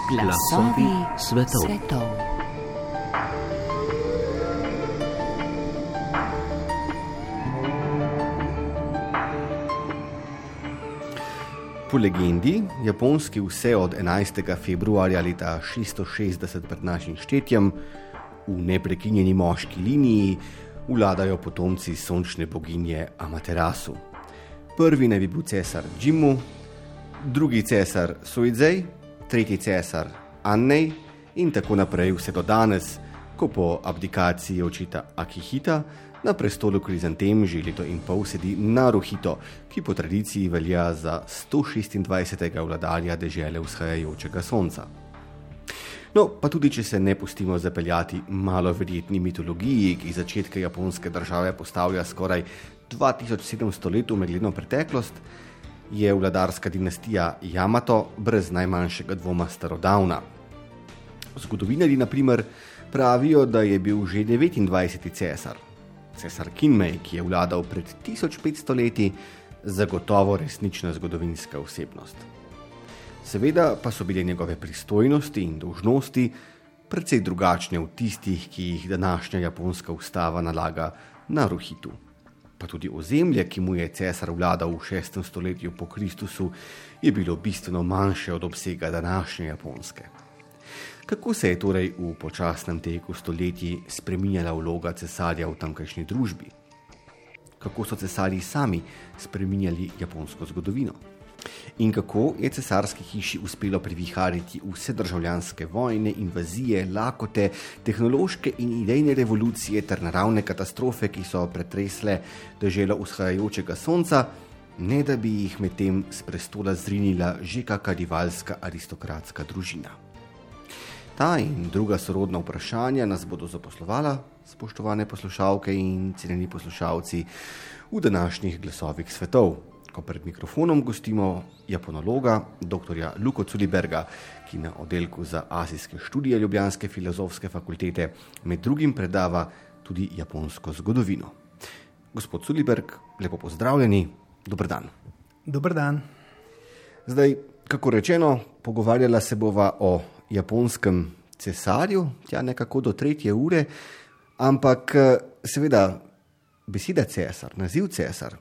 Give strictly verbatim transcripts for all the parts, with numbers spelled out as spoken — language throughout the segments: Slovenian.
Glasovi svetov. svetov. Po legendi, Japonski vse od enajstega februarja leta šeststo šestdeset pred našim štetjem v neprekinjeni moški liniji vladajo potomci sončne boginje Amaterasu. Prvi naj bi bil cesar Jimmu, drugi cesar Suizei, tretji cesar Annej in tako naprej vse do danes, ko po abdikaciji očeta Akihita na prestolu Krizantem že leto in pol sedi Naruhito, ki po tradiciji velja za sto šestindvajsetega vladarja dežele vzhajajočega sonca. No, pa tudi, če se ne pustimo zapeljati malo verjetni mitologiji, ki začetke japonske države postavlja skoraj dva tisoč sedemsto let v megledno preteklost, je vladarska dinastija Yamato brez najmanjšega dvoma starodavna. Zgodovinarji, na primer, pravijo, da je bil že devetindvajseti cesar, cesar Kinmei, ki je vladal pred tisoč petsto leti, zagotovo resnična zgodovinska osebnost. Seveda pa so bile njegove pristojnosti in dolžnosti precej drugačne od tistih, ki jih današnja japonska ustava nalaga Naruhitu. Pa tudi ozemlje, ki mu je cesar vladal v šestem stoletju po Kristusu, je bilo bistveno manjše od obsega današnje Japonske. Kako se je torej v počasnem teku stoletij spreminjala vloga cesarja v tamkajšnji družbi? Kako so cesarji sami spreminjali japonsko zgodovino? In kako je cesarski hiši uspelo privihariti vse državljanske vojne, invazije, lakote, tehnološke in idejne revolucije ter naravne katastrofe, ki so pretresle deželo vzhajajočega sonca, ne da bi jih medtem s prestola zrinila že kaka rivalska aristokratska družina. Ta in druga sorodna vprašanja nas bodo zaposlovala, spoštovane poslušalke in cenjeni poslušalci, v današnjih glasovih svetov, ko pred mikrofonom gostimo japonologa, doktorja Luko Culiberga, ki na oddelku za azijske študije Ljubljanske filozofske fakultete med drugim predava tudi japonsko zgodovino. Gospod Culiberg, lepo pozdravljeni, dober dan. Dober dan. Zdaj, kako rečeno, pogovarjala se bova o japonskem cesarju, tja nekako do tretje ure, ampak seveda beseda cesar, naziv cesar,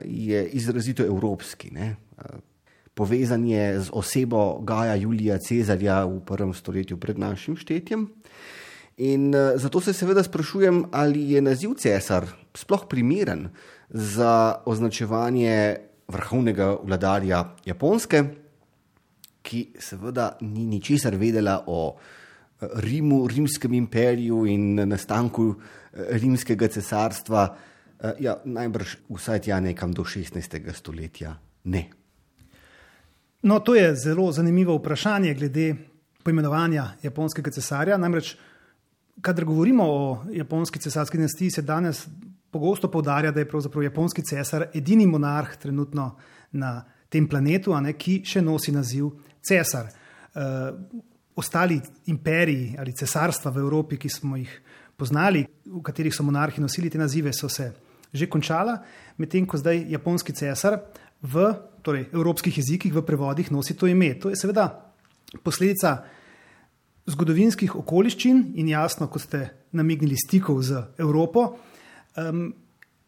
je izrazito evropski, ne? Povezan je z osebo Gaja Julija Cezarja v prvem stoletju pred našim štetjem. In zato se seveda sprašujem, ali je naziv cesar sploh primeren za označevanje vrhovnega vladarja Japonske, ki seveda ni ničesar vedela o Rimu, rimskem imperiju in nastanku rimskega cesarstva. Ja, najbrž vsaj tja nekam do šestnajstega stoletja ne. No, to je zelo zanimivo vprašanje glede poimenovanja japonskega cesarja. Namreč, kadar govorimo o japonski cesarski dinastiji, se danes pogosto poudarja, da je pravzaprav japonski cesar edini monarh trenutno na tem planetu, a ne, ki še nosi naziv cesar. E, ostali imperiji ali cesarstva v Evropi, ki smo jih poznali, v katerih so monarhi nosili te nazive, so se že končala, medtem ko zdaj japonski cesar v torej, evropskih jezikih v prevodih nosi to ime. To je seveda posledica zgodovinskih okoliščin in jasno, kot ste namignili, stikov z Evropo. Um,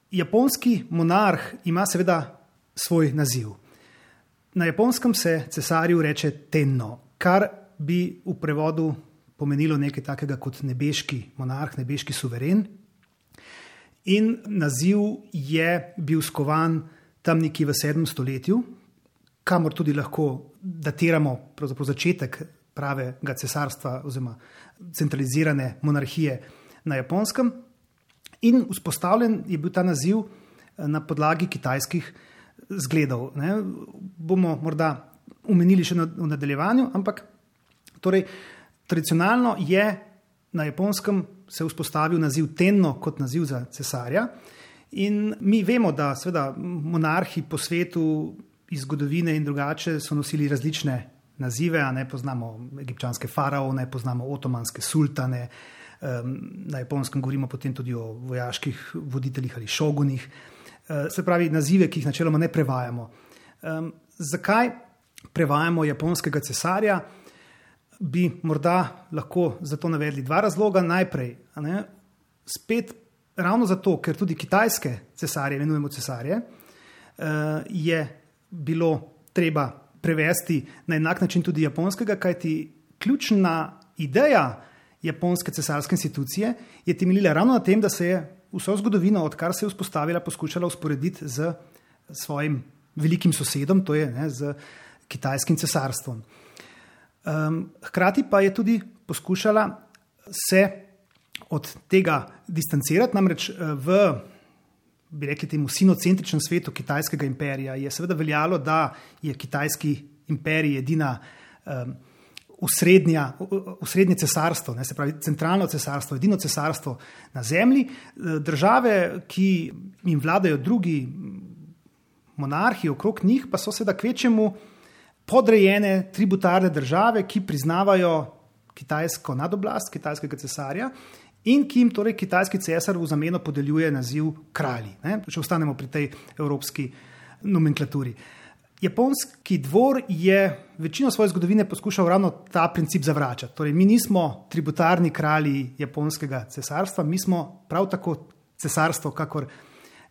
japonski monarh ima seveda svoj naziv. Na japonskem se cesarju reče tenno, kar bi v prevodu pomenilo nekaj takega kot nebeški monarh, nebeški suveren. In naziv je bil skovan tam nekje v sedmem stoletju, kamor tudi lahko datiramo pravzaprav začetek pravega cesarstva oziroma centralizirane monarhije na Japonskem. In vzpostavljen je bil ta naziv na podlagi kitajskih zgledov. Ne? Bomo morda omenili še v nadaljevanju, ampak torej, tradicionalno je na Japonskem se vzpostavil naziv tenno kot naziv za cesarja in mi vemo, da seveda monarhi po svetu iz zgodovine in drugače so nosili različne nazive, a ne poznamo egipčanske faraone, poznamo otomanske sultane, na Japonskem govorimo potem tudi o vojaških voditeljih ali šogunih, se pravi nazive, ki jih načeloma ne prevajamo. Zakaj prevajamo japonskega cesarja? bi morda lahko za to navedli dva razloga. Najprej, a ne, spet ravno zato, ker tudi kitajske cesarje, imenujemo cesarje, je bilo treba prevesti na enak način tudi japonskega, kajti ključna ideja japonske cesarske institucije je temeljila ravno na tem, da se je vso zgodovino, odkar se je vzpostavila, poskušala usporediti z svojim velikim sosedom, to je ne, z kitajskim cesarstvom. Um, hkrati pa je tudi poskušala se od tega distancirati, namreč v, bi rekli temu, sinocentričnem svetu kitajskega imperija je seveda veljalo, da je kitajski imperij edina um, Usrednja, usrednje cesarstvo, ne, se pravi centralno cesarstvo, edino cesarstvo na zemlji. Države, ki jim vladajo drugi monarhi okrog njih, pa so seveda kvečemu podrejene tributarne države, ki priznavajo kitajsko nadoblast, kitajskega cesarja in ki jim torej kitajski cesar v zameno podeljuje naziv kralji. Ne, če ostanemo pri tej evropski nomenklaturi. Japonski dvor je večino svoje zgodovine poskušal ravno ta princip zavračati. Torej, mi nismo tributarni kralji japonskega cesarstva, mi smo prav tako cesarstvo, kakor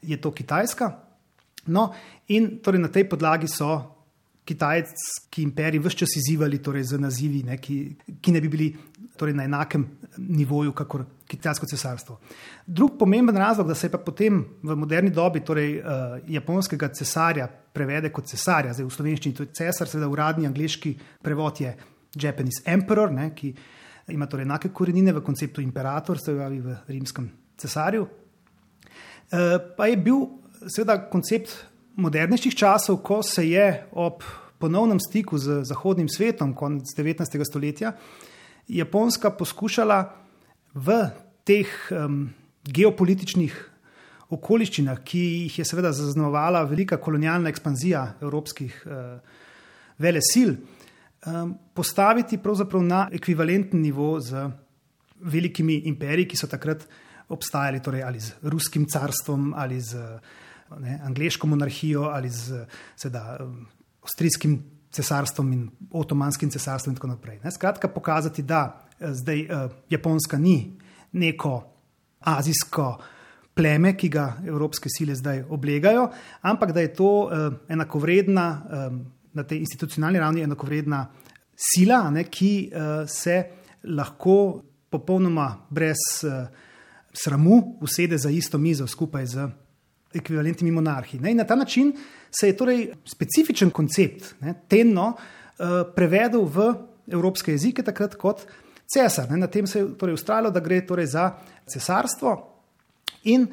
je to Kitajska. No, in torej na tej podlagi so kitajski imperiji ves čas izzivali torej z nazivi, ne, ki, ki ne bi bili torej na enakem nivoju, kakor kitajsko cesarstvo. Drug pomemben razlog, da se je pa potem v moderni dobi torej, uh, japonskega cesarja prevede kot cesarja, zdaj v slovenščini to je cesar, seveda uradni angleški prevod je Japanese emperor, ne, ki ima torej enake korenine v konceptu imperator, se pravi v rimskem cesarju. Uh, pa je bil seveda koncept modernejših časov, ko se je ob ponovnem stiku z zahodnim svetom konec devetnajstega stoletja Japonska poskušala v teh um, geopolitičnih okoliščinah, ki jih je seveda zaznamovala velika kolonialna ekspanzija evropskih uh, velesil, um, postaviti pravzaprav na ekvivalenten nivo z velikimi imperiji, ki so takrat obstajali, torej ali z ruskim carstvom ali z ne, angleško monarhijo ali z seveda avstrijskim cesarstvom in otomanskim cesarstvom in tako naprej. Ne. Skratka, pokazati, da zdaj uh, Japonska ni neko azijsko pleme, ki ga evropske sile zdaj oblegajo, ampak da je to uh, enakovredna, um, na tej institucionalni ravni enakovredna sila, ne, ki uh, se lahko popolnoma brez uh, sramu usede za isto mizo skupaj z ekvivalentnimi monarhi. Ne? In na ta način se je torej specifičen koncept ne, tenno uh, prevedel v evropske jezike takrat kot cesar. Ne? Na tem se je torej ustrajalo, da gre torej za cesarstvo in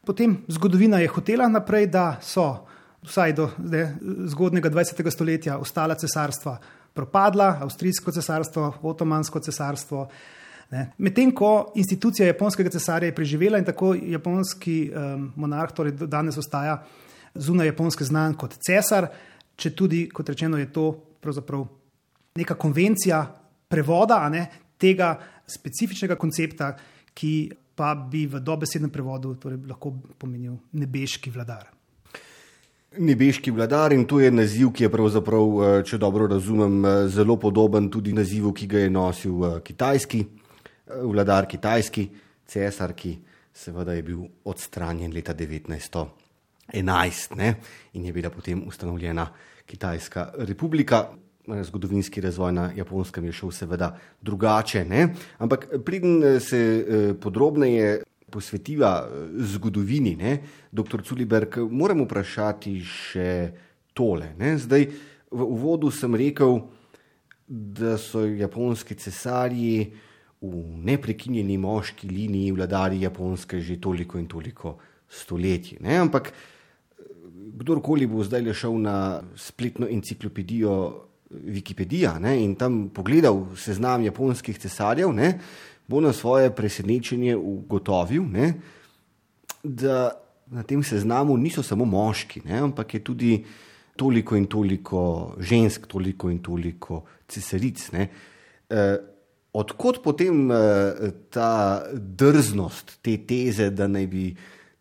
potem zgodovina je hotela naprej, da so vsaj do ne, zgodnega dvajsetega stoletja ostala cesarstva propadla, avstrijsko cesarstvo, otomansko cesarstvo. Medtem ko institucija japonskega cesarja je preživela in tako japonski um, monarh torej danes ostaja zunaj japonske znan kot cesar, če tudi, kot rečeno, je to pravzaprav neka konvencija prevoda a ne, tega specifičnega koncepta, ki pa bi v dobesednem prevodu torej lahko pomenil nebeški vladar. Nebeški vladar, in to je naziv, ki je pravzaprav, če dobro razumem, zelo podoben tudi nazivu, ki ga je nosil kitajski vladar, kitajski cesar, ki seveda je bil odstranjen leta devetnajststo enajst ne, in je bila potem ustanovljena Kitajska republika. Zgodovinski razvoj na Japonskem je šel seveda drugače, ne. Ampak preden se podrobneje posvetiva zgodovini, ne, doktor Culiberg, moram vprašati še tole. Ne. Zdaj, v uvodu sem rekel, da so japonski cesarji v neprekinjeni moški liniji vladari Japonske že toliko in toliko stoletij. Ne? Ampak kdorkoli bo zdaj le šel na spletno enciklopedijo Wikipedija ne? In tam pogledal seznam japonskih cesarjev, ne? Bo na svoje presenečenje ugotovil, ne? Da na tem seznamu niso samo moški, ne? Ampak je tudi toliko in toliko žensk, toliko in toliko cesaric. Ne? E, Odkot potem uh, ta drznost, te teze, da naj bi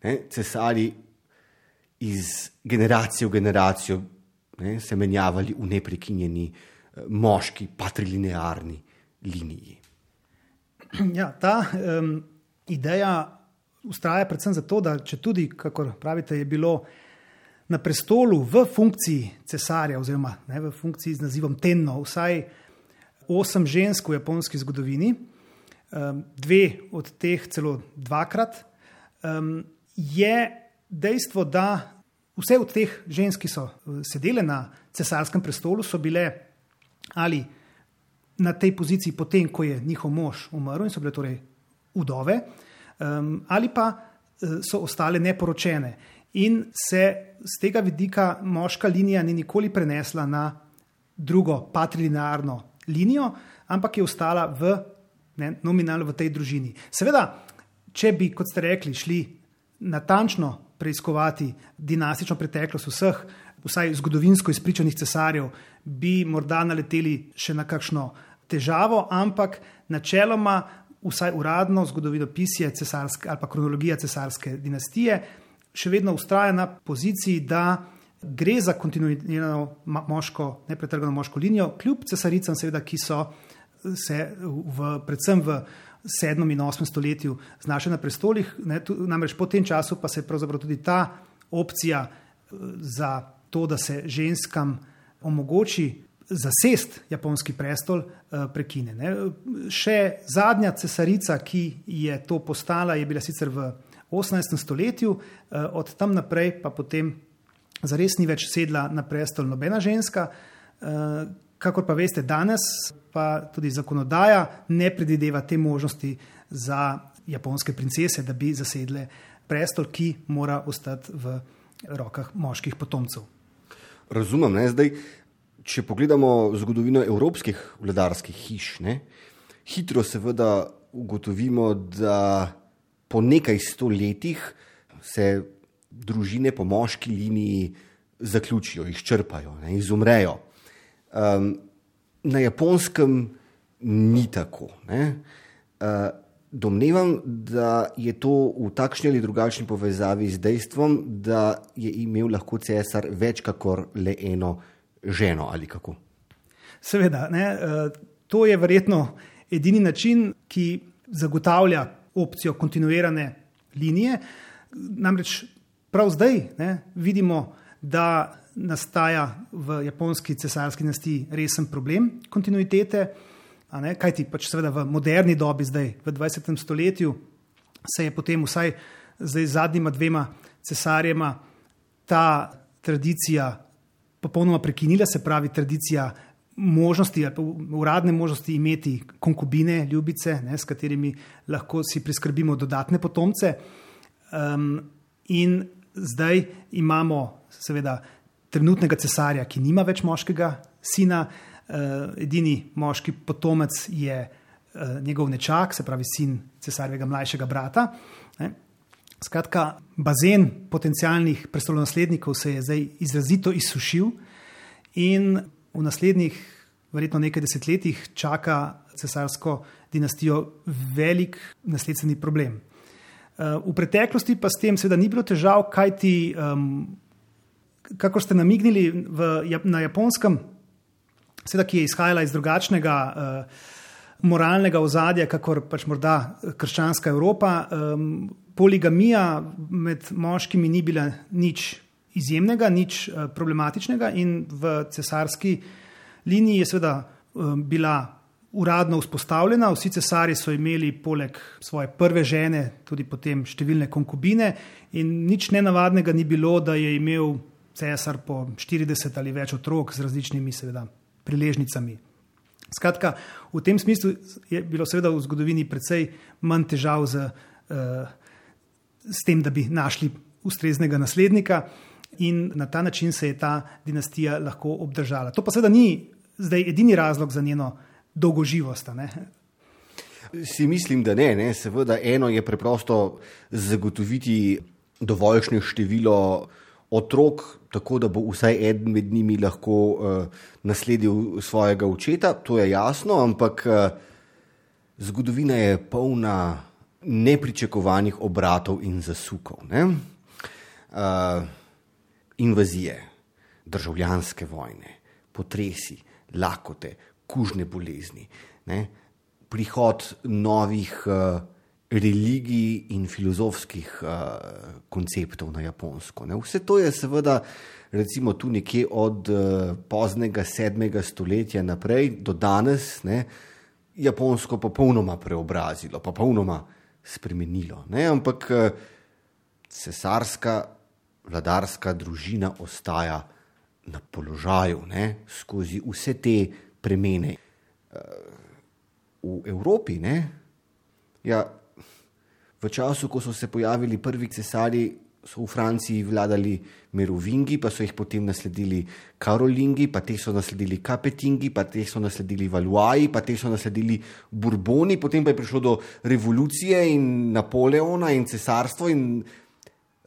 ne, cesari iz generacije v generacijo ne, se menjavali v neprekinjeni uh, moški, patrilinearni liniji. Ja, ta um, ideja ustraja predvsem zato, da če tudi, kakor pravite, je bilo na prestolu v funkciji cesarja oziroma ne, v funkciji z nazivom Tenno vsaj osem žensk v japonski zgodovini, um, dve od teh celo dvakrat, um, je dejstvo, da vse od teh žensk, ki so sedele na cesarskem prestolu, so bile ali na tej poziciji potem, ko je njihov mož umrl in so bile torej vdove, um, ali pa so ostale neporočene. In se z tega vidika moška linija ni nikoli prenesla na drugo patrilinearno linijo, ampak je ostala v, ne, nominalno v tej družini. Seveda, če bi, kot ste rekli, šli natančno preiskovati dinastično preteklost vseh, vsaj zgodovinsko izpričanih cesarjev, bi morda naleteli še na kakšno težavo, ampak načeloma vsaj uradno zgodovinopisje cesarske ali pa kronologija cesarske dinastije še vedno vztraja na poziciji, da gre za kontinuirano moško, nepretrgano moško linijo, kljub cesaricam, seveda, ki so se v, predvsem v sedmem in osmem stoletju znašli na prestolih. Ne, tu, namreč po tem času pa se je pravzaprav tudi ta opcija za to, da se ženskam omogoči zasest japonski prestol, prekine. Ne. Še zadnja cesarica, ki je to postala, je bila sicer v osemnajstem stoletju, od tam naprej pa potem zares ni več sedla na prestol nobena ženska. Kakor pa veste, danes pa tudi zakonodaja ne predvideva te možnosti za japonske princese, da bi zasedle prestol, ki mora ostati v rokah moških potomcev. Razumem, ne? Zdaj, če pogledamo zgodovino evropskih vladarskih hiš, ne? Hitro seveda ugotovimo, da po nekaj sto letih se družine po moški liniji zaključijo, izčrpajo, ne, izumrejo. Um, na Japonskem ni tako. Ne. Uh, domnevam, da je to v takšni ali drugačni povezavi z dejstvom, da je imel lahko cesar več kakor le eno ženo ali kako. Seveda, ne, uh, to je verjetno edini način, ki zagotavlja opcijo kontinuirane linije. Namreč prav zdaj ne, vidimo, da nastaja v japonski cesarski dinastiji resen problem kontinuitete, a ne, kajti pač seveda v moderni dobi zdaj, v dvajsetem stoletju, se je potem vsaj zdaj zadnjima dvema cesarjema ta tradicija popolnoma prekinila, se pravi tradicija možnosti, uradne možnosti imeti konkubine, ljubice, ne, s katerimi lahko si priskrbimo dodatne potomce. Um, in zdaj imamo seveda trenutnega cesarja, ki nima več moškega sina, uh, edini moški potomec je uh, njegov nečak, se pravi sin cesarjevega mlajšega brata. Ne. Skratka, bazen potencialnih prestolonaslednikov se je zdaj izrazito izsušil in v naslednjih verjetno nekaj desetletjih čaka cesarsko dinastijo velik nasledstveni problem. V preteklosti pa s tem seveda ni bilo težav, kajti, um, kako ste namignili v, na Japonskem, seveda, ki je izhajala iz drugačnega uh, moralnega ozadja, kakor pač morda krščanska Evropa, um, poligamija med moškimi ni bila nič izjemnega, nič uh, problematičnega in v cesarski liniji je seveda um, bila uradno vzpostavljena. Vsi cesarji so imeli poleg svoje prve žene tudi potem številne konkubine in nič nenavadnega ni bilo, da je imel cesar po štirideset ali več otrok z različnimi seveda priležnicami. Skratka, v tem smislu je bilo seveda v zgodovini precej manj težav z, uh, s tem, da bi našli ustreznega naslednika in na ta način se je ta dinastija lahko obdržala. To pa seveda ni zdaj edini razlog za njeno dolgoživost. Ne? Si mislim, da ne, ne. Seveda eno je preprosto zagotoviti dovoljšne število otrok, tako da bo vsaj eden med njimi lahko uh, nasledil svojega očeta, to je jasno, ampak uh, zgodovina je polna nepričakovanih obratov in zasukov. Ne? Uh, invazije, državljanske vojne, potresi, lakote, kužne bolezni. Ne? prihod novih uh, religij in filozofskih uh, konceptov na Japonsko. Ne. Vse to je seveda recimo tu nekje od uh, poznega sedmega stoletja naprej do danes, ne, Japonsko popolnoma preobrazilo, popolnoma spremenilo. Ne. Ampak uh, cesarska vladarska družina ostaja na položaju, ne, skozi vse te premene. Uh, v Evropi, ne, ja, v času, ko so se pojavili prvi cesarji, so v Franciji vladali Merovingi, pa so jih potem nasledili Karolingi, pa teh so nasledili Kapetingi, pa teh so nasledili Valois, pa teh so nasledili Bourboni, potem pa je prišlo do revolucije in Napoleona in cesarstvo in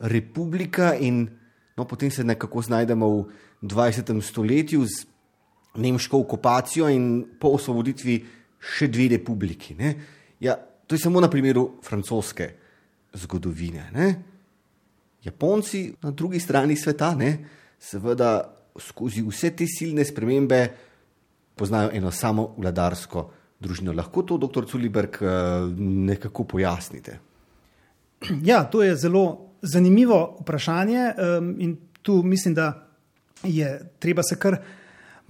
republika in no, potem se nekako znajdemo v dvajsetem stoletju z nemško okupacijo in po osvoboditvi še dve republiki. Ne? Ja, to je samo na primeru francoske zgodovine. Ne? Japonci na drugi strani sveta, ne, seveda skozi vse te silne spremembe poznajo eno samo vladarsko družino. Lahko to, doktor Culiberg, nekako pojasnite? Ja, to je zelo zanimivo vprašanje in tu mislim, da je treba se kar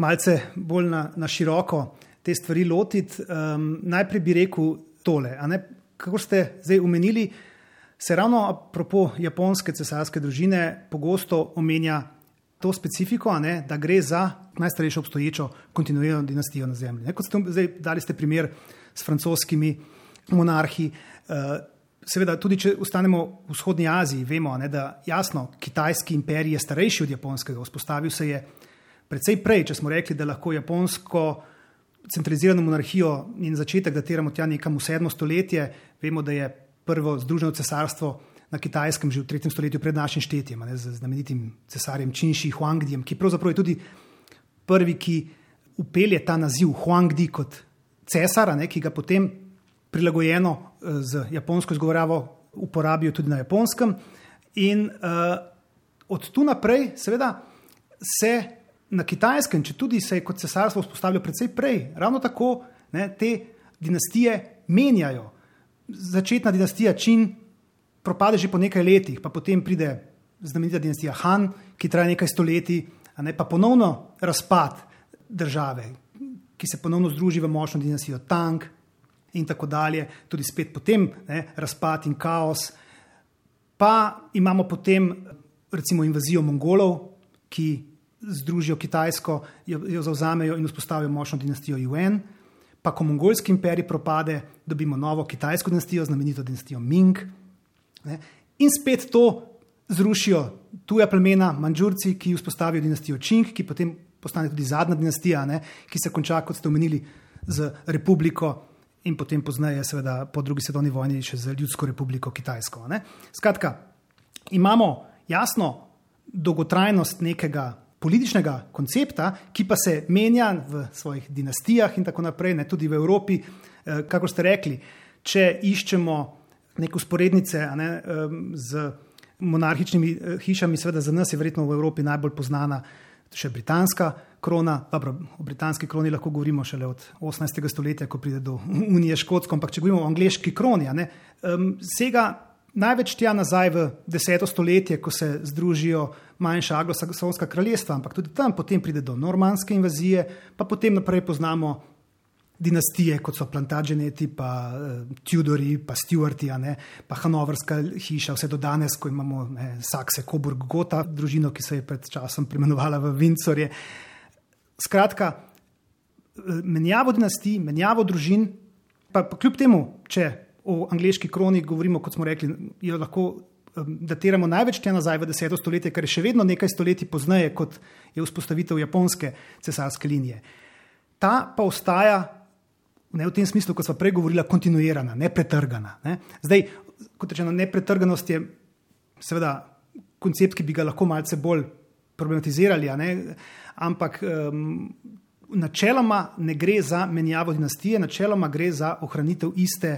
malce bolj na, na široko te stvari lotiti. Um, najprej bi rekel tole, a ne, kako ste zdaj omenili, se ravno apropo japonske cesarske družine pogosto omenja to specifiko, a ne, da gre za najstarejšo obstoječo kontinuirano dinastijo na zemlji. Ne, kot ste zdaj dali ste primer s francoskimi monarhi, uh, seveda tudi, če ostanemo v vzhodni Aziji, vemo, ne, da jasno, kitajski imperij je starejši od japonskega, vzpostavil se je precej prej, če smo rekli, da lahko japonsko centralizirano monarhijo in začetek datiramo tja nekam v sedmo stoletje, vemo, da je prvo združeno cesarstvo na Kitajskem že v tretjem stoletju pred našim štetjem, ne, z znamenitim cesarjem Činši Huangdijem, ki pravzaprav je tudi prvi, ki upelje ta naziv Huangdi kot cesara, ne, ki ga potem prilagojeno z japonsko izgovorjavo uporabijo tudi na Japonskem. In uh, od tu naprej seveda se na Kitajskem, če tudi se je kot cesarstvo vzpostavilo precej prej, ravno tako, ne, te dinastije menjajo. Začetna dinastija Čin propade že po nekaj letih, pa potem pride znamenita dinastija Han, ki traja nekaj stoletij, a ne, pa ponovno razpad države, ki se ponovno združi v močno dinastijo Tang in tako dalje, tudi spet potem, ne, razpad in kaos. Pa imamo potem recimo invazijo Mongolov, ki združijo Kitajsko, jo, jo zavzamejo in vzpostavijo močno dinastijo Yuan. Pa ko mongolski imperij propade, dobimo novo kitajsko dinastijo, znamenito dinastijo Ming. Ne? In spet to zrušijo tuja plemena, Mandžurci, ki vzpostavijo dinastijo Čing, ki potem postane tudi zadnja dinastija, ne? Ki se konča, kot ste omenili, z republiko in potem pozneje, seveda po drugi svetovni vojni, še z ljudsko republiko Kitajsko. Ne? Skratka, imamo jasno dolgotrajnost nekega političnega koncepta, ki pa se menja v svojih dinastijah in tako naprej, ne, tudi v Evropi, eh, kako ste rekli, če iščemo neke usporednice, a ne, eh, z monarhičnimi eh, hišami, seveda za nas je verjetno v Evropi najbolj poznana še britanska krona. Dobro, o britanski kroni lahko govorimo šele od osemnajstega stoletja, ko pride do Unije Škotsko, ampak če govorimo o angleški kroni, a ne, eh, sega največ tja nazaj v deseto stoletje, ko se združijo manjša anglosaksonska kraljestva, ampak tudi tam potem pride do normanske invazije, pa potem naprej poznamo dinastije, kot so Plantageneti, pa uh, Tudori, pa Stuarti, ne, pa Hanoverska hiša, vse do danes, ko imamo ne, Saxe, Coburg, Gotha, družino, ki se je pred časom preimenovala v Windsorje. Skratka, menjavo dinastij, menjavo družin, pa, pa kljub temu, če o angleški kroni govorimo, kot smo rekli, jo lahko um, datiramo največ tja nazaj v deseto stoletje, kar je še vedno nekaj stoletij pozneje, kot je vzpostavitev japonske cesarske linije. Ta pa ostaja, ne v tem smislu, kot smo prej govorila, kontinuirana, nepretrgana. Ne? Zdaj, kot rečeno, nepretrganost je seveda koncept, ki bi ga lahko malce bolj problematizirali, a ne? Ampak um, načeloma ne gre za menjavo dinastije, načeloma gre za ohranitev iste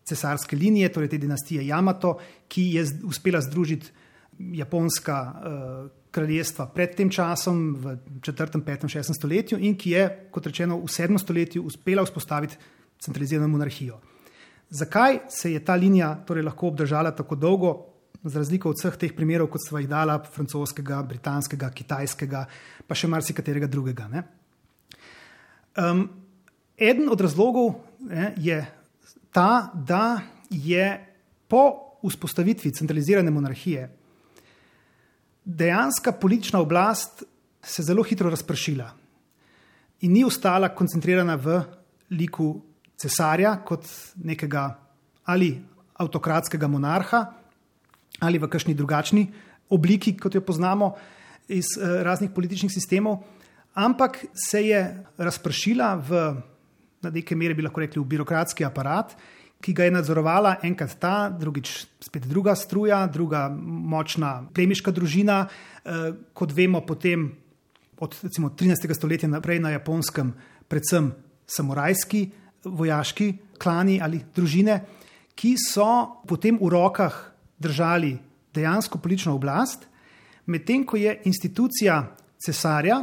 cesarske linije, torej te dinastije Jamato, ki je uspela združiti japonska uh, kraljestva pred tem časom v četrtem, petem, šestem stoletju in ki je, kot rečeno, v sedmem stoletju uspela vzpostaviti centralizirano monarhijo. Zakaj se je ta linija torej lahko obdržala tako dolgo, za razliko od vseh teh primerov, kot sva jih dala, francoskega, britanskega, kitajskega, pa še marsikaterega drugega, ne? Um, eden od razlogov ne, je ta, da je po vzpostavitvi centralizirane monarhije dejanska politična oblast se zelo hitro razpršila in ni ostala koncentrirana v liku cesarja kot nekega ali avtokratskega monarha ali v kakšni drugačni obliki, kot jo poznamo iz eh, raznih političnih sistemov, ampak se je razpršila v, na neke mere bi lahko rekli, v birokratski aparat, ki ga je nadzorovala enkrat ta, drugič spet druga struja, druga močna plemiška družina, eh, kot vemo potem od recimo trinajstega stoletja naprej na Japonskem predvsem samurajski vojaški klani ali družine, ki so potem v rokah držali dejansko politično oblast, medtem ko je institucija cesarja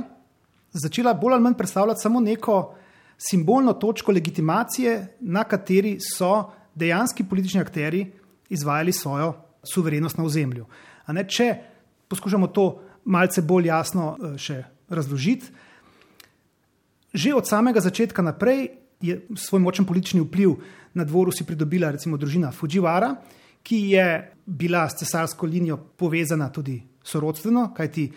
začela bolj ali manj predstavljati samo neko simbolno točko legitimacije, na kateri so dejanski politični akteri izvajali svojo suverenost na ozemlju. A ne, če poskušamo to malce bolj jasno še razložiti, že od samega začetka naprej je svoj močen politični vpliv na dvoru si pridobila recimo družina Fujiwara, ki je bila s cesarsko linijo povezana tudi sorodstveno, kajti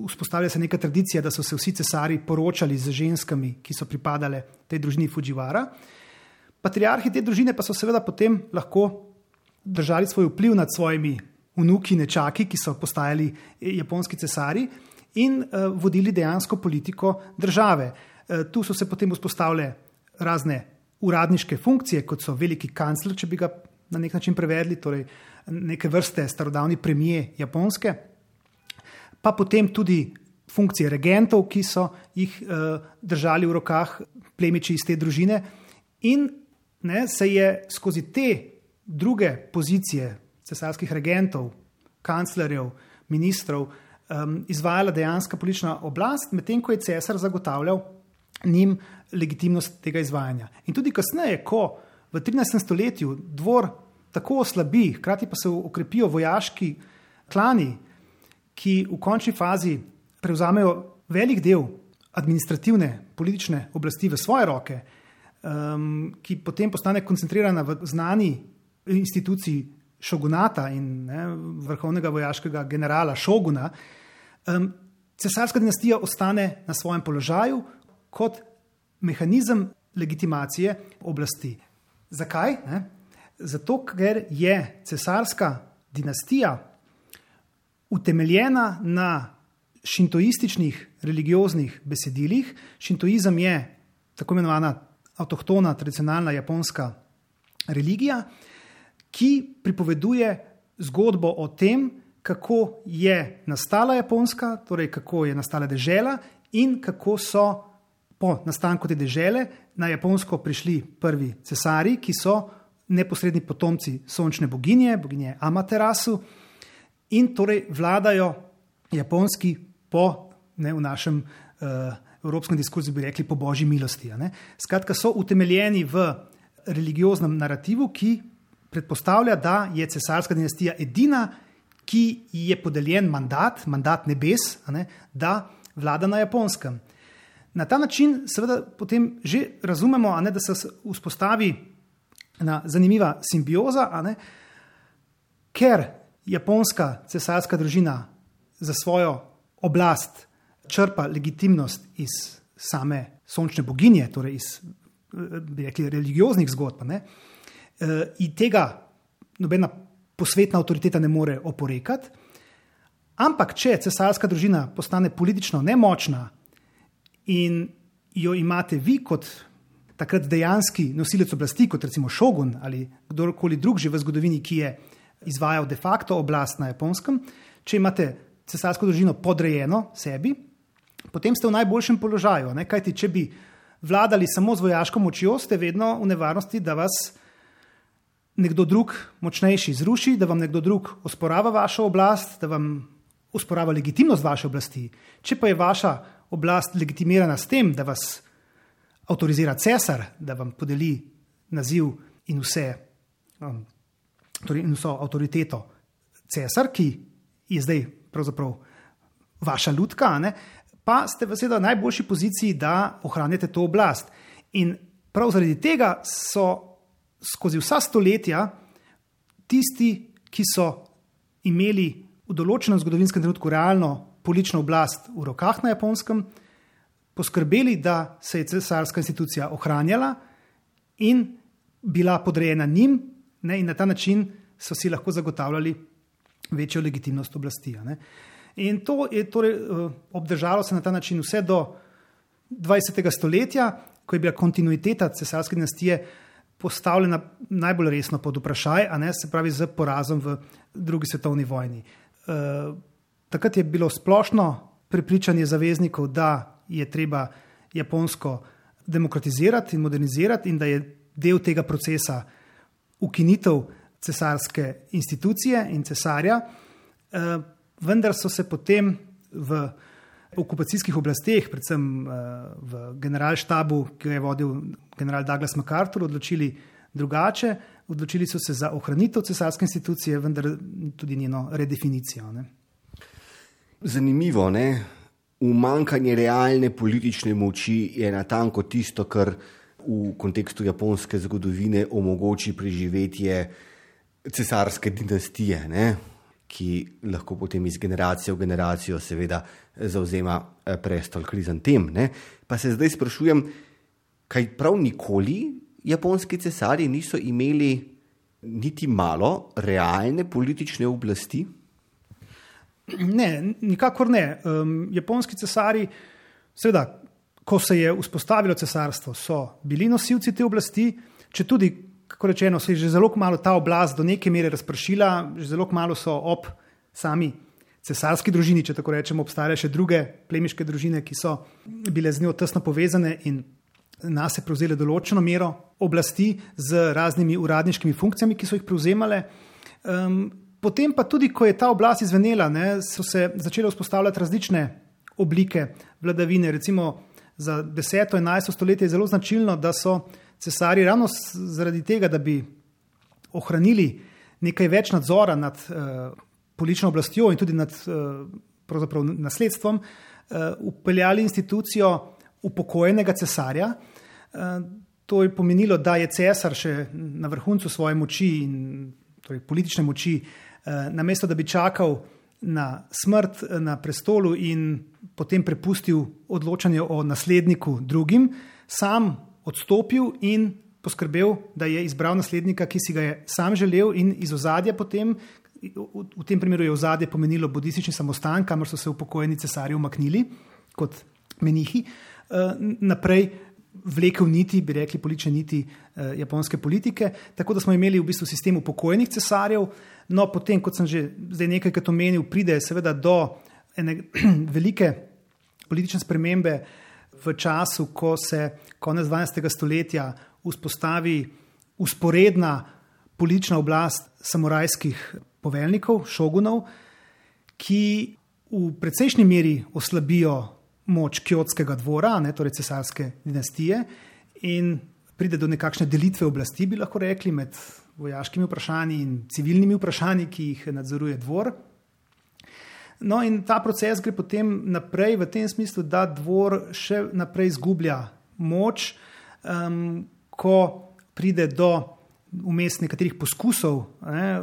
vzpostavlja se neka tradicija, da so se vsi cesari poročali z ženskami, ki so pripadale tej družini Fujiwara. Patriarhi te družine pa so seveda potem lahko držali svoj vpliv nad svojimi vnuki, nečaki, ki so postajali japonski cesari in uh, vodili dejansko politiko države. Uh, tu so se potem vzpostavile razne uradniške funkcije, kot so veliki kancler, če bi ga na nek način prevedli, torej neke vrste starodavni premijer Japonske, pa potem tudi funkcije regentov, ki so jih uh, držali v rokah plemiči iz te družine in ne, se je skozi te druge pozicije cesarskih regentov, kanclerjev, ministrov um, izvajala dejanska politična oblast, medtem ko je cesar zagotavljal njim legitimnost tega izvajanja. In tudi kasneje, ko v trinajstem stoletju dvor tako oslabi, hkrati pa se okrepijo vojaški klani, ki v končni fazi prevzamejo velik del administrativne politične oblasti v svoje roke, um, ki potem postane koncentrirana v znani instituciji šogunata in ne, vrhovnega vojaškega generala šoguna, um, cesarska dinastija ostane na svojem položaju kot mehanizem legitimacije oblasti. Zakaj? Ne? Zato, ker je cesarska dinastija utemeljena na šintoističnih religioznih besedilih. Šintoizem je tako imenovana avtohtona, tradicionalna japonska religija, ki pripoveduje zgodbo o tem, kako je nastala Japonska, torej kako je nastala dežela in kako so po nastanku te dežele na Japonsko prišli prvi cesari, ki so neposredni potomci sončne boginje, boginje Amaterasu, in torej vladajo Japonski po, ne, v našem uh, evropskem diskurzu bi rekli, po božji milosti. Ne. Skratka, so utemeljeni v religioznem narativu, ki predpostavlja, da je cesarska dinastija edina, ki je podeljen mandat, mandat nebes, ne, da vlada na Japonskem. Na ta način seveda potem že razumemo, a ne, da se vzpostavi ena zanimiva simbioza, a ne, ker japonska cesarska družina za svojo oblast črpa legitimnost iz same sončne boginje, torej iz, bi rekli, religioznih zgodb, ne, in tega nobena posvetna avtoriteta ne more oporekati, ampak če cesarska družina postane politično nemočna in jo imate vi kot takrat dejanski nosilec oblasti, kot recimo šogun ali kdorkoli drug že v zgodovini, ki je izvajal de facto oblast na Japonskem, če imate cesarsko družino podrejeno sebi, potem ste v najboljšem položaju, ne? Kajti če bi vladali samo z vojaško močjo, ste vedno v nevarnosti, da vas nekdo drug močnejši zruši, da vam nekdo drug osporava vašo oblast, da vam osporava legitimnost vaše oblasti. Če pa je vaša oblast legitimirana s tem, da vas avtorizira cesar, da vam podeli naziv in vse, um, torej in vso avtoriteto cesar, ki je zdaj pravzaprav vaša lutka, ne, pa ste v seveda najboljši poziciji, da ohranjate to oblast. In prav zaradi tega so skozi vsa stoletja tisti, ki so imeli v določenem zgodovinskem trenutku realno politično oblast v rokah na Japonskem, poskrbeli, da se je cesarska institucija ohranjala in bila podrejena njim, ne, in na ta način so si lahko zagotavljali večjo legitimnost oblasti. Ne. In to je torej obdržalo se na ta način vse do dvajsetega stoletja, ko je bila kontinuiteta cesarske dinastije postavljena najbolj resno pod vprašaj, a ne, se pravi z porazom v drugi svetovni vojni. E, takrat je bilo splošno prepričanje zaveznikov, da je treba Japonsko demokratizirati in modernizirati in da je del tega procesa ukinitev cesarske institucije in cesarja, e, vendar so se potem v okupacijskih oblasteh, predvsem v generalštabu, ki ga je vodil general Douglas MacArthur, odločili drugače. Odločili so se za ohranitev cesarske institucije, vendar tudi njeno redefinicijo. Ne. Zanimivo, ne? Umankanje realne politične moči je natanko tisto, kar v kontekstu japonske zgodovine omogoči preživetje cesarske dinastije, ne? Ki lahko potem iz generacije v generacijo seveda zavzema prestol krizantem. Ne? Pa se zdaj sprašujem, kaj prav nikoli japonski cesarji niso imeli niti malo realne politične oblasti? Ne, nikakor ne. Um, japonski cesarji, seveda, ko se je vzpostavilo cesarstvo, so bili nosilci te oblasti, če tudi kako rečeno, se je že zelo malo ta oblast do neke mere razpršila, že zelo malo so ob sami cesarski družini, če tako rečemo, obstajale še druge plemiške družine, ki so bile z njo tesno povezane in nas je prevzeli določeno mero oblasti z raznimi uradniškimi funkcijami, ki so jih prevzemale. Um, potem pa tudi, ko je ta oblast izvenela, ne, so se začele vzpostavljati različne oblike vladavine. Recimo za deseto in enajsto stoletje je zelo značilno, da so cesarji ravno zaradi tega, da bi ohranili nekaj več nadzora nad uh, politično oblastjo in tudi nad uh, pravzaprav nasledstvom, uh, upeljali institucijo upokojenega cesarja. Uh, to je pomenilo, da je cesar še na vrhuncu svoje moči in torej politične moči, uh, namesto da bi čakal na smrt na prestolu in potem prepustil odločanje o nasledniku drugim, sam odstopil in poskrbel, da je izbral naslednika, ki si ga je sam želel in iz ozadja potem, v tem primeru je ozadje pomenilo budistični samostan, kamor so se upokojeni cesarji umaknili kot menihi, naprej vlekel niti, bi rekli politične niti japonske politike, tako da smo imeli v bistvu sistem upokojenih cesarjev, no potem, kot sem že zdaj nekajkrat omenil, pride seveda do ene velike politične spremembe v času, ko se konec dvanajstega stoletja vzpostavi usporedna politična oblast samurajskih poveljnikov, šogunov, ki v precejšnji meri oslabijo moč kjotskega dvora, ne, torej cesarske dinastije, in pride do nekakšne delitve oblasti, bi lahko rekli, med vojaškimi vprašanji in civilnimi vprašanji, ki jih nadzoruje dvor. No in ta proces gre potem naprej v tem smislu, da dvor še naprej izgublja moč, um, ko pride do vmes nekaterih poskusov ne,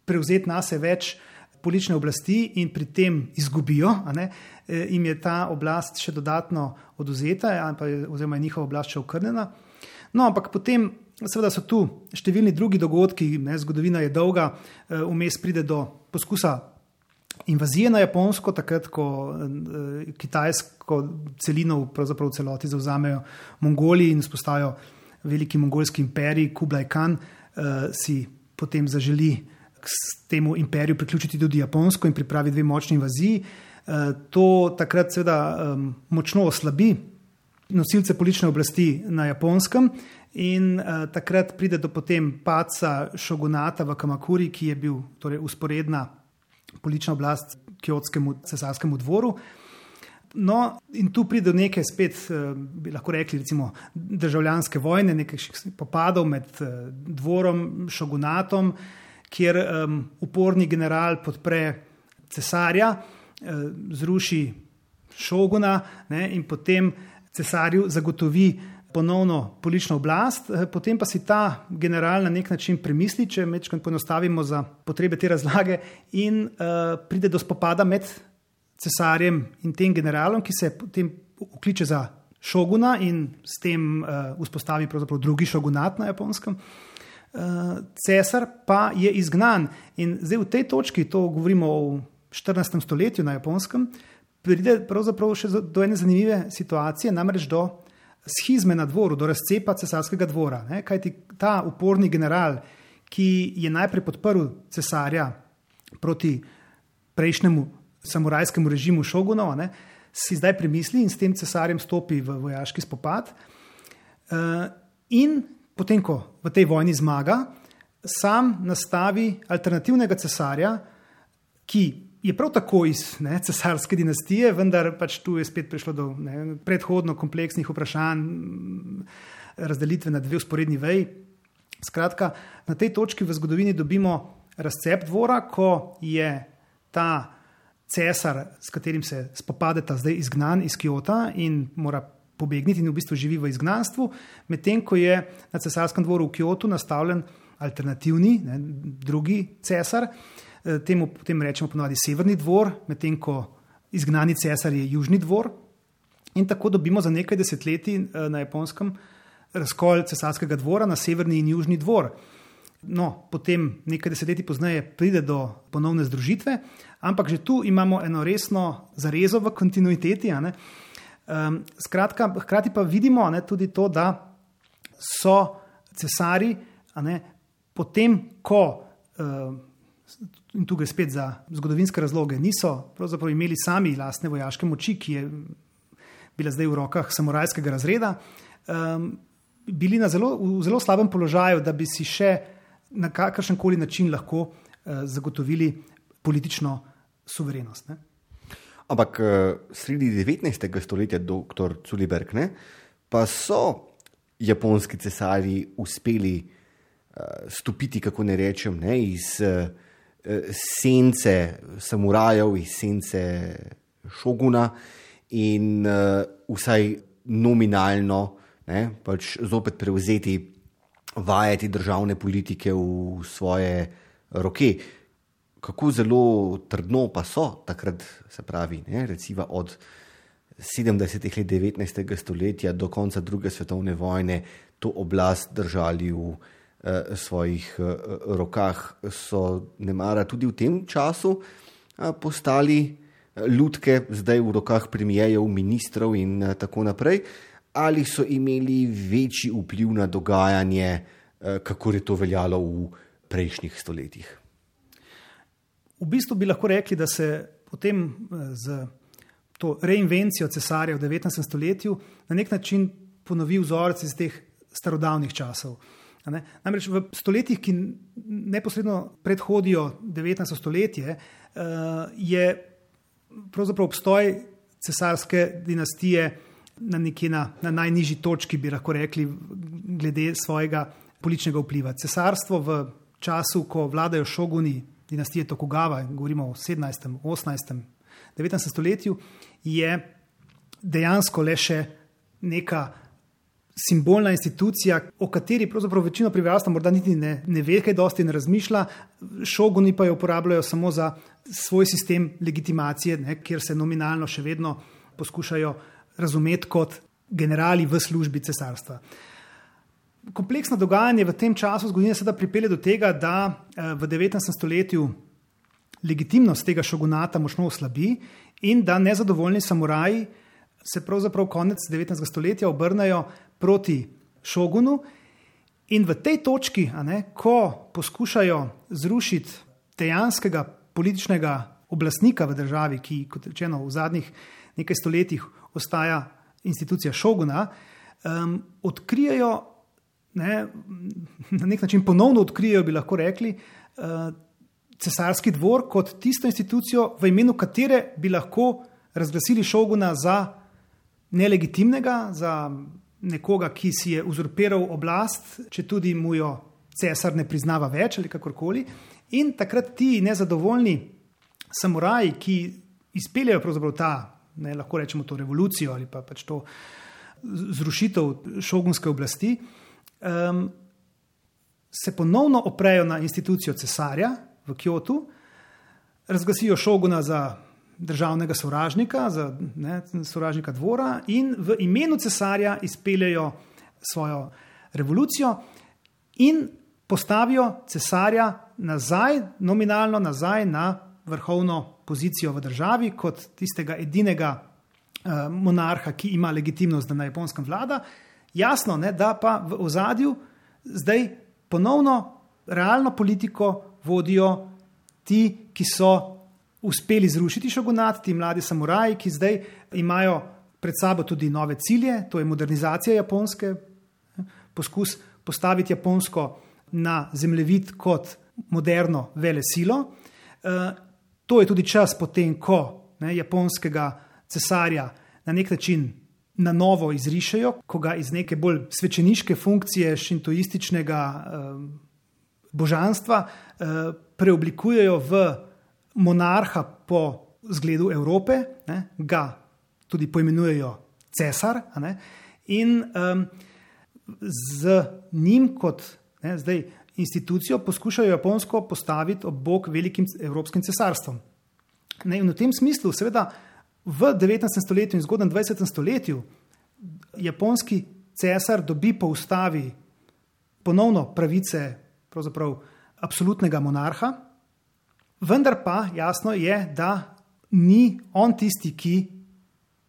prevzeti nase več politične oblasti in pri tem izgubijo, a ne, jim je ta oblast še dodatno odvzeta, oziroma je njihova oblast še okrnjena. No, ampak potem seveda so tu številni drugi dogodki, ne, zgodovina je dolga, vmes pride do poskusa invazije na Japonsko, takrat, ko eh, kitajsko celino pravzaprav v celoti zavzamejo Mongoli in vzpostavijo veliki mongolski imperij, Kublai Khan eh, si potem zaželi k temu imperiju priključiti tudi Japonsko in pripravi dve močni invaziji. Eh, to takrat seveda eh, močno oslabi nosilce politične oblasti na Japonskem in eh, takrat pride do potem padca šogunata v Kamakuri, ki je bil torej usporedna politična oblast kjotskemu cesarskemu dvoru. No, in tu pride do neke spet, bi lahko rekli, recimo državljanske vojne, nekaj popadov med dvorom, šogunatom, kjer um, uporni general podpre cesarja, uh, zruši šoguna, ne, in potem cesarju zagotovi ponovno politično oblast, potem pa si ta general na nek način premisli, če mečkaj poenostavimo za potrebe te razlage, in uh, pride do spopada med cesarjem in tem generalom, ki se potem vkliče za šoguna in s tem uh, vzpostavi pravzaprav drugi šogunat na Japonskem. Uh, cesar pa je izgnan in zdaj v tej točki, to govorimo o štirinajstem stoletju na Japonskem, pride pravzaprav še do ene zanimive situacije, namreč do schizme na dvoru, do razcepa cesarskega dvora. Ne? Kajti ta uporni general, ki je najprej podprl cesarja proti prejšnjemu samurajskemu režimu šogunov, ne, si zdaj premisli in s tem cesarjem stopi v vojaški spopad. Uh, in potem, ko v tej vojni zmaga, sam nastavi alternativnega cesarja, ki je prav tako iz ne, cesarske dinastije, vendar pač tu je spet prišlo do ne, predhodno kompleksnih vprašanj, razdelitve na dve vzporedni veji. Skratka, na tej točki v zgodovini dobimo razcep dvora, ko je ta cesar, s katerim se spopadeta zdaj izgnan iz Kjota in mora pobegniti in v bistvu živi v izgnanstvu, medtem ko je na cesarskem dvoru v Kjotu nastavljen alternativni, ne, drugi cesar. Temu potem rečemo ponovadi severni dvor, medtem ko izgnani cesar je južni dvor. In tako dobimo za nekaj desetletij na Japonskem razkol cesarskega dvora na severni in južni dvor. No, potem nekaj desetletij pozneje pride do ponovne združitve, ampak že tu imamo eno resno zarezo v kontinuiteti. A ne? Um, skratka, hkrati pa vidimo a ne, tudi to, da so cesari, a ne, potem, ko uh, in tukaj spet za zgodovinske razloge, niso pravzaprav imeli sami lastne vojaške moči, ki je bila zdaj v rokah samurajskega razreda, um, bili na zelo, v zelo slabem položaju, da bi si še na kakršenkoli način lahko uh, zagotovili politično suverenost. Ne? Ampak sredi devetnajstega stoletja, doktor Culiberg, ne, pa so japonski cesarji uspeli uh, stopiti, kako ne rečem, ne, iz uh, sence samurajev, iz sence šoguna in uh, vsaj nominalno ne, pač zopet prevzeti vajeti državne politike v svoje roke. Kako zelo trdno pa so takrat, se pravi, ne, recimo od sedemdesetih let devetnajstega stoletja do konca druge svetovne vojne to oblast držali v svojih rokah, so nemara tudi v tem času postali lutke, zdaj v rokah premijejev, ministrov in tako naprej, ali so imeli večji vpliv na dogajanje, kako je to veljalo v prejšnjih stoletjih? V bistvu bi lahko rekli, da se potem z to reinvencijo cesarja v devetnajstem stoletju na nek način ponovi vzorec iz teh starodavnih časov. Namreč v stoletjih, ki neposredno predhodijo devetnajsto stoletje, je pravzaprav obstoj cesarske dinastije na nekje na, na najnižji točki, bi lahko rekli, glede svojega političnega vpliva. Cesarstvo v času, ko vladajo šoguni dinastije Tokugava, govorimo o sedemnajstem, osemnajstem, devetnajstem stoletju, je dejansko le še neka simbolna institucija, o kateri pravzaprav večino prebivalstva morda niti ne, ne ve, kaj dosti ne razmišlja, šoguni pa jo uporabljajo samo za svoj sistem legitimacije, ne, kjer se nominalno še vedno poskušajo razumeti kot generali v službi cesarstva. Kompleksno dogajanje v tem času zgodovine seveda pripelje do tega, da v devetnajstem stoletju legitimnost tega šogunata močno oslabi in da nezadovoljni samuraji se pravzaprav konec devetnajstega stoletja obrnejo proti šogunu in v tej točki, a ne, ko poskušajo zrušiti dejanskega političnega oblastnika v državi, ki, kot rečeno, v zadnjih nekaj stoletjih ostaja institucija šoguna, um, odkrijejo, ne, na nek način ponovno odkrijejo, bi lahko rekli, uh, cesarski dvor kot tisto institucijo, v imenu katere bi lahko razglasili šoguna za nelegitimnega, za nekoga, ki si je uzurpiral oblast, če tudi mu jo cesar ne priznava več ali kakorkoli. In takrat ti nezadovoljni samuraji, ki izpeljajo pravzaprav ta, ne, lahko rečemo to revolucijo ali pa pač to zrušitev šogunske oblasti, um, se ponovno oprejo na institucijo cesarja v Kjotu, razglasijo šoguna za državnega sovražnika, za ne, sovražnika dvora in v imenu cesarja izpeljajo svojo revolucijo in postavijo cesarja nazaj, nominalno nazaj na vrhovno pozicijo v državi kot tistega edinega uh, monarha, ki ima legitimnost, da na Japonskem vlada. Jasno, ne, da pa v ozadju zdaj ponovno realno politiko vodijo ti, ki so uspeli zrušiti šogunat, ti mladi samuraji, ki zdaj imajo pred sabo tudi nove cilje, to je modernizacija Japonske, poskus postaviti Japonsko na zemljevid kot moderno velesilo. To je tudi čas potem, ko ne, japonskega cesarja na nek način na novo izrišejo, ko ga iz neke bolj svečeniške funkcije šintoističnega eh, božanstva eh, preoblikujejo v monarha po zgledu Evrope, ne, ga tudi poimenujejo cesar, ne, in um, z njim kot ne, zdaj institucijo poskušajo Japonsko postaviti ob bok velikim evropskim cesarstvom. Ne, in v tem smislu, seveda, v devetnajstem stoletju in zgodnjem dvajsetem stoletju japonski cesar dobi po ustavi ponovno pravice pravzaprav absolutnega monarha, vendar pa jasno je, da ni on tisti, ki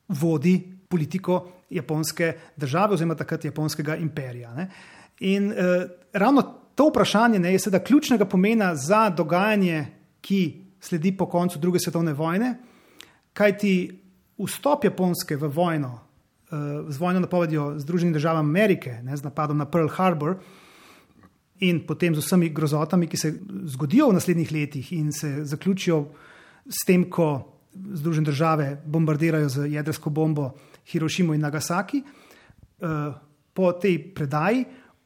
vodi politiko japonske države oziroma takrat japonskega imperija. Ne. In eh, ravno to vprašanje ne, je seveda ključnega pomena za dogajanje, ki sledi po koncu druge svetovne vojne, kajti vstop Japonske v vojno, eh, z vojno napovedjo Združenih držav Amerike, ne, z napadom na Pearl Harbor in potem z vsemi grozotami, ki se zgodijo v naslednjih letih in se zaključijo s tem, ko Združene države bombardirajo z jedrsko bombo Hirošimo in Nagasaki, eh, po tej predaji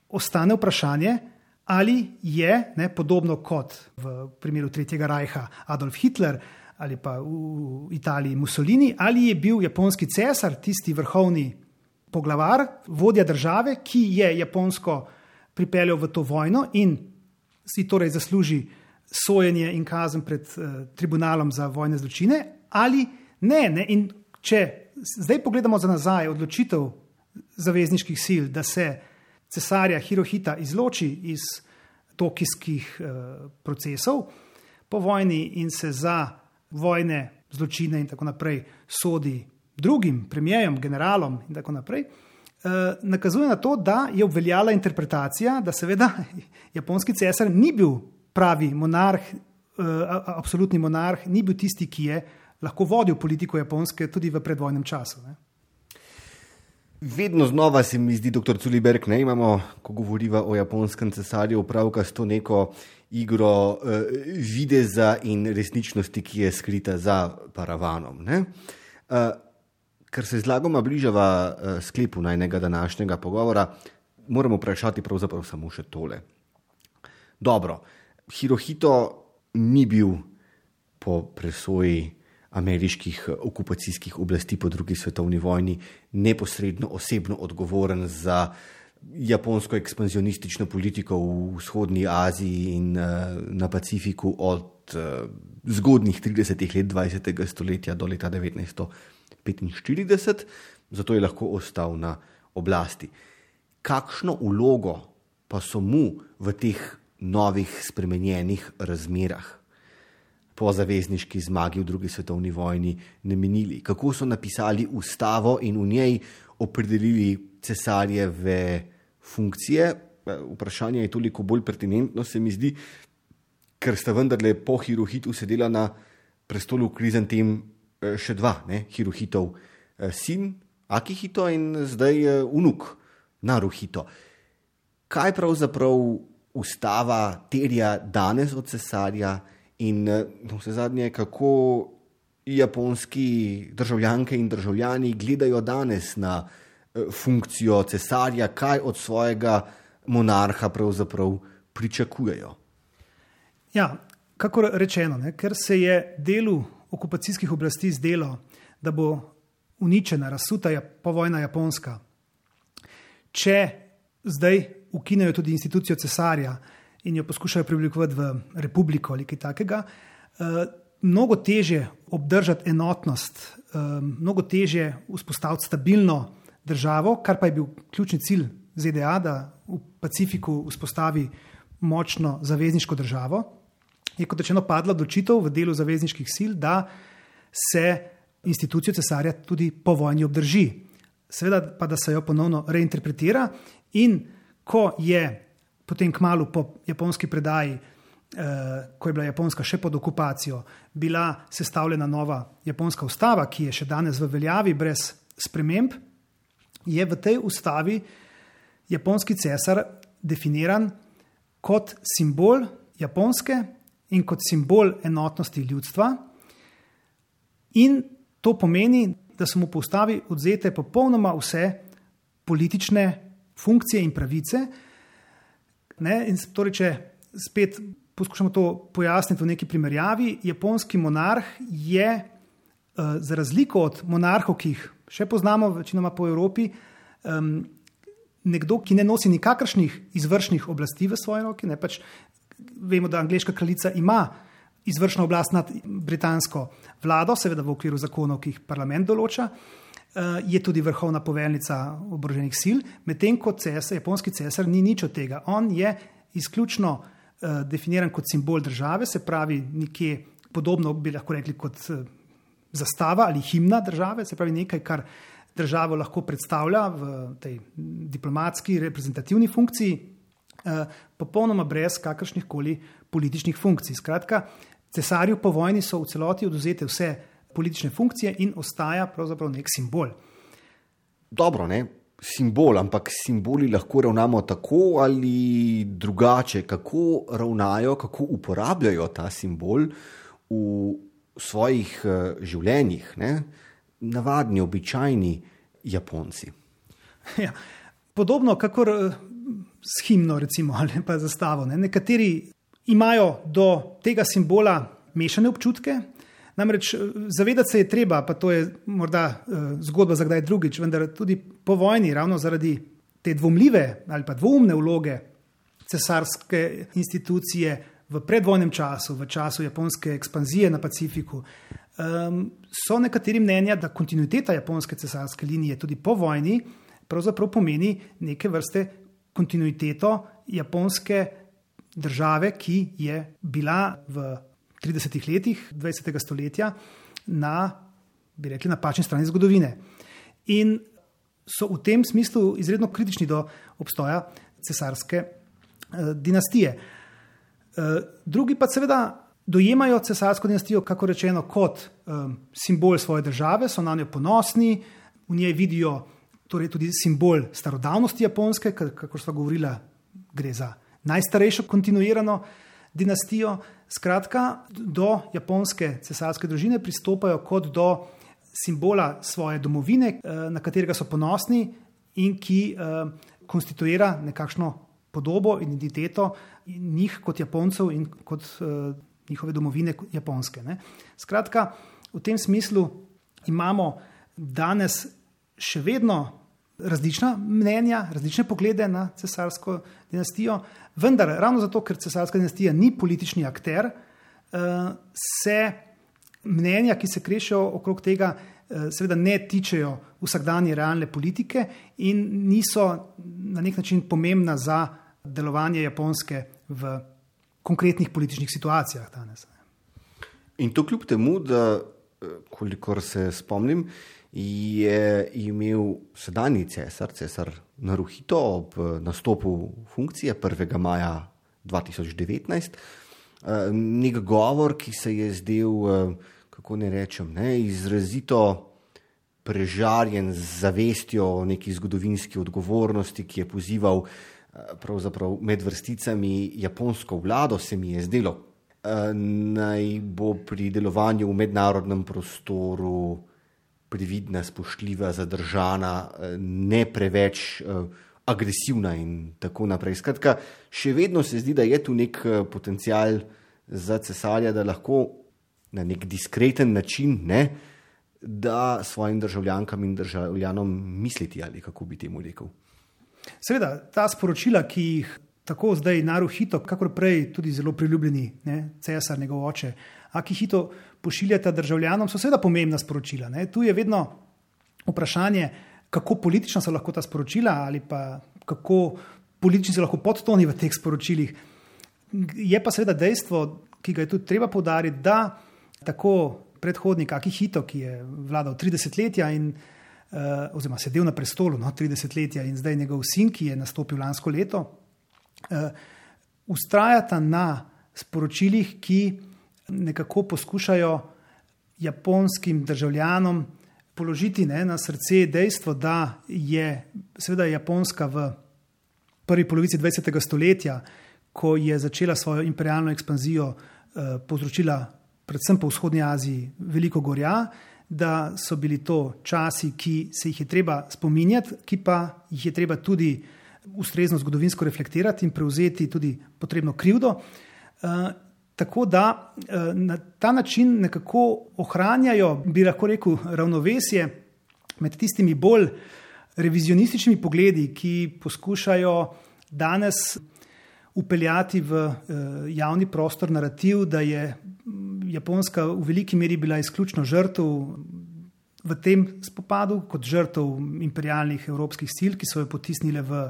ostane vprašanje, ali je, ne, podobno kot v primeru Tretjega rajha Adolf Hitler ali pa v Italiji Mussolini, ali je bil japonski cesar tisti vrhovni poglavar, vodja države, ki je Japonsko pripeljal v to vojno in si torej zasluži sojenje in kazen pred uh, tribunalom za vojne zločine, ali ne, ne. In če zdaj pogledamo za nazaj odločitev zavezniških sil, da se cesarja Hirohita izloči iz tokijskih uh, procesov po vojni in se za vojne zločine in tako naprej sodi drugim premijerom, generalom in tako naprej, uh, nakazuje na to, da je obveljala interpretacija, da seveda japonski cesar ni bil pravi monarh, uh, absolutni monarh, ni bil tisti, ki je lahko vodil politiko Japonske tudi v predvojnem času. Ne? Vedno znova se mi zdi, doktor Culiberg, ne imamo, ko govoriva o japonskem cesarju, opravka s to neko igro uh, videza in resničnosti, ki je skrita za paravanom. Ne? Uh, ker se zlagoma bližava uh, sklepu najnega današnjega pogovora, moramo vprašati pravzaprav samo še tole. Dobro, Hirohito ni bil po presoji ameriških okupacijskih oblasti po drugi svetovni vojni neposredno osebno odgovoren za japonsko ekspanzionistično politiko v vzhodni Aziji in uh, na Pacifiku od uh, zgodnjih tridesetih let dvajsetega stoletja do leta devetnajststo petinštirideset, zato je lahko ostal na oblasti. Kakšno vlogo pa so mu v teh novih spremenjenih razmerah po zavezniški zmagi v drugi svetovni vojni namenili? Kako so napisali ustavo in v njej opredelili cesarjeve funkcije? Vprašanje je toliko bolj pertinentno, se mi zdi, ker sta vendarle po Hirohitu sedela na prestolu Krizantem še dva, ne? Hirohitov sin Akihito in zdaj vnuk Naruhito. Kaj pravzaprav ustava terja danes od cesarja in no, vse zadnje, kako japonski državljanke in državljani gledajo danes na funkcijo cesarja, kaj od svojega monarha pravzaprav pričakujejo? Ja, kakor rečeno, ne, ker se je delu okupacijskih oblasti zdelo, da bo uničena, razsuta povojna Japonska, če zdaj ukinejo tudi institucijo cesarja in jo poskušajo preoblikovati v republiko ali kaj takega, mnogo težje obdržati enotnost, mnogo težje vzpostaviti stabilno državo, kar pa je bil ključni cilj Z D A, da v Pacifiku vzpostavi močno zavezniško državo, je kot rečeno padla odločitev v delu zavezniških sil, da se institucijo cesarja tudi po vojni obdrži. Seveda pa, da se jo ponovno reinterpretira in ko je potem kmalu po japonski predaji, eh, ko je bila Japonska še pod okupacijo, bila sestavljena nova japonska ustava, ki je še danes v veljavi brez sprememb, je v tej ustavi japonski cesar definiran kot simbol Japonske in kot simbol enotnosti ljudstva. In to pomeni, da so mu po ustavi odvzete popolnoma vse politične funkcije in pravice. Ne? In torej, če spet poskušamo to pojasniti v neki primerjavi, japonski monarh je uh, za razliko od monarhov, ki jih še poznamo večinoma po Evropi, um, nekdo, ki ne nosi nikakršnih izvršnih oblasti v svoji roki. Ne? Pač vemo, da angleška kraljica ima izvršno oblast nad britansko vlado, seveda v okviru zakonov, ki jih parlament določa, je tudi vrhovna poveljnica oboroženih sil, medtem ko cesar, japonski cesar ni nič od tega. On je izključno definiran kot simbol države, se pravi nekje podobno bi lahko rekli kot zastava ali himna države, se pravi nekaj, kar državo lahko predstavlja v tej diplomatski reprezentativni funkciji, popolnoma brez kakršnih koli političnih funkcij. Skratka, cesarju po vojni so v celoti odvzete vse politične funkcije in ostaja pravzaprav nek simbol. Dobro, ne? Simbol, ampak simboli lahko ravnamo tako ali drugače. Kako ravnajo, kako uporabljajo ta simbol v svojih uh, življenjih, ne? Navadni, običajni Japonci? Ja, podobno kakor uh, s himno recimo, ali pa zastavo. Ne? Nekateri imajo do tega simbola mešane občutke, namreč zavedati se je treba, pa to je morda uh, zgodba za kdaj drugič, vendar tudi po vojni, ravno zaradi te dvomljive ali pa dvoumne vloge cesarske institucije v predvojnem času, v času japonske ekspanzije na Pacifiku, um, so nekateri mnenja, da kontinuiteta japonske cesarske linije tudi po vojni pravzaprav pomeni neke vrste kontinuiteto japonske države, ki je bila v tridesetih letih dvajsetega stoletja na, bi rekli, napačni strani zgodovine. In so v tem smislu izredno kritični do obstoja cesarske eh, dinastije. Eh, drugi pa seveda dojemajo cesarsko dinastijo, kako rečeno, kot eh, simbol svoje države, so na njo ponosni, v njej vidijo torej tudi simbol starodavnosti Japonske, kako sva govorila, gre za najstarejšo kontinuirano dinastijo. Skratka, do japonske cesarske družine pristopajo kot do simbola svoje domovine, na katerega so ponosni in ki konstituira nekakšno podobo, identiteto njih kot Japoncev in kot njihove domovine Japonske. Ne. Skratka, v tem smislu imamo danes še vedno različna mnenja, različne poglede na cesarsko dinastijo, vendar ravno zato, ker cesarska dinastija ni politični akter, se mnenja, ki se krešejo okrog tega, seveda ne tičejo vsakdanje realne politike in niso na nek način pomembna za delovanje Japonske v konkretnih političnih situacijah danes. In to kljub temu, da kolikor se spomnim, je imel sedanji cesar, cesar Naruhito, ob nastopu funkcije prvega maja dva tisoč devetnajst, nek govor, ki se je zdel, kako ne rečem, ne, izrazito prežarjen z zavestjo o neki zgodovinski odgovornosti, ki je pozival pravzaprav med vrsticami japonsko vlado, se mi je zdelo. naj bo pri delovanju v mednarodnem prostoru previdna, spoštljiva, zadržana, ne preveč agresivna in tako naprej. Skratka, še vedno se zdi, da je tu nek potencial za cesarja, da lahko na nek diskreten način, ne, da svojim državljankam in državljanom misliti, ali kako bi temu rekel. Seveda, ta sporočila, ki jih tako zdaj Naruhito, kakor prej tudi zelo priljubljeni, ne, cesar, njegov oče, Akihito pošiljata državljanom, so seveda pomembna sporočila. Ne. Tu je vedno vprašanje, kako politično so lahko ta sporočila ali pa kako politični so lahko podtoni v teh sporočilih. Je pa seveda dejstvo, ki ga je tudi treba poudariti, da tako predhodnik Akihito, ki je vladal tri desetletja in uh, oziroma sedel na prestolu no, tri desetletja in zdaj njegov sin, ki je nastopil lansko leto, uh, ustrajata na sporočilih, ki nekako poskušajo japonskim državljanom položiti ne, na srce dejstvo, da je seveda Japonska v prvi polovici dvajsetega stoletja, ko je začela svojo imperialno ekspanzijo, uh, povzročila predvsem po vzhodni Aziji, veliko gorja, da so bili to časi, ki se jih je treba spominjati, ki pa jih je treba tudi ustrezno zgodovinsko reflektirati in prevzeti tudi potrebno krivdo. Uh, tako da uh, na ta način nekako ohranjajo, bi lahko rekel, ravnovesje med tistimi bolj revizionističnimi pogledi, ki poskušajo danes upeljati v uh, javni prostor narativ, da je Japonska v veliki meri bila izključno žrtev v tem spopadu, kot žrtev imperialnih evropskih sil, ki so jo potisnile v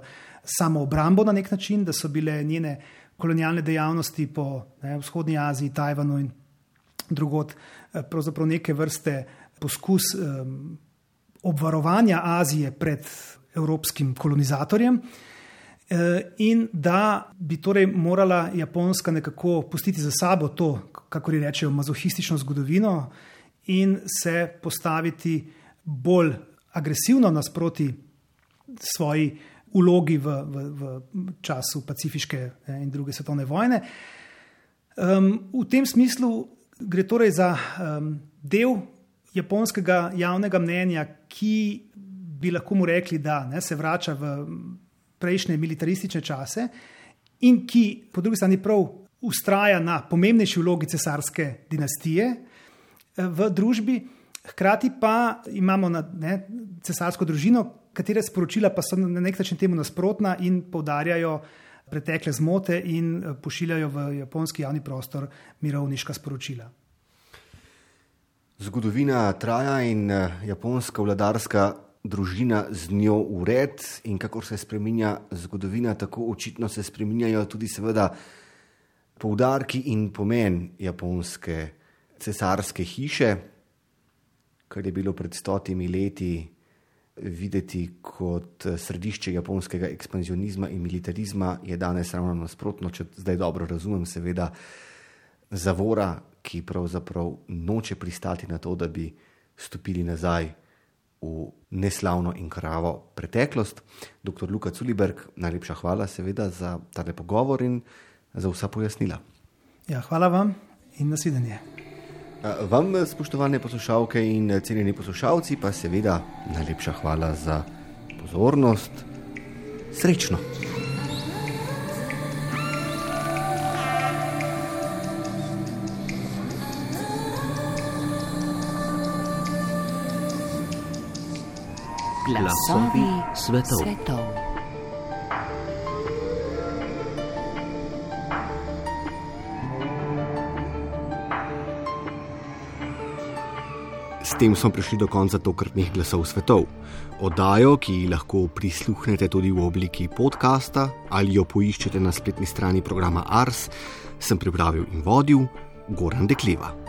samoobrambo na nek način, da so bile njene kolonialne dejavnosti po ne, vzhodni Aziji, Tajvanu in drugod pravzaprav neke vrste poskus um, obvarovanja Azije pred evropskim kolonizatorjem. In da bi torej morala Japonska nekako pustiti za sabo to, kako rečejo, mazohistično zgodovino in se postaviti bolj agresivno nasproti svoji vlogi v, v, v času pacifiške in druge svetovne vojne. Um, v tem smislu gre torej za um, del japonskega javnega mnenja, ki bi lahko mu rekli, da ne, se vrača v prejšnje militaristične čase in ki po drugi strani prav ustraja na pomembnejši vlogi cesarske dinastije v družbi, hkrati pa imamo na, ne, cesarsko družino, katere sporočila pa so na nek način temu nasprotna in poudarjajo pretekle zmote in pošiljajo v japonski javni prostor mirovniška sporočila. Zgodovina traja in japonska vladarska družina z njo ured in kakor se spreminja zgodovina, tako očitno se spreminjajo tudi seveda poudarki in pomen japonske cesarske hiše, kar je bilo pred stotimi leti videti kot središče japonskega ekspanzionizma in militarizma, je danes ravno nasprotno, če zdaj dobro razumem, seveda zavora, ki pravzaprav noče pristati na to, da bi stopili nazaj v neslavno in kravo preteklost. Doktor Luka Culiberg, najlepša hvala seveda za tale pogovor in za vsa pojasnila. Ja, hvala vam in nasvidenje. Vam, spoštovane poslušalke in cenjeni poslušalci, pa seveda najlepša hvala za pozornost. Srečno! Glasovi svetov. svetov. S tem smo prišli do konca tokratnih Glasov svetov. Oddajo, ki lahko prisluhnete tudi v obliki podcasta ali jo poiščete na spletni strani programa Ars, sem pripravil in vodil Goran Dekleva.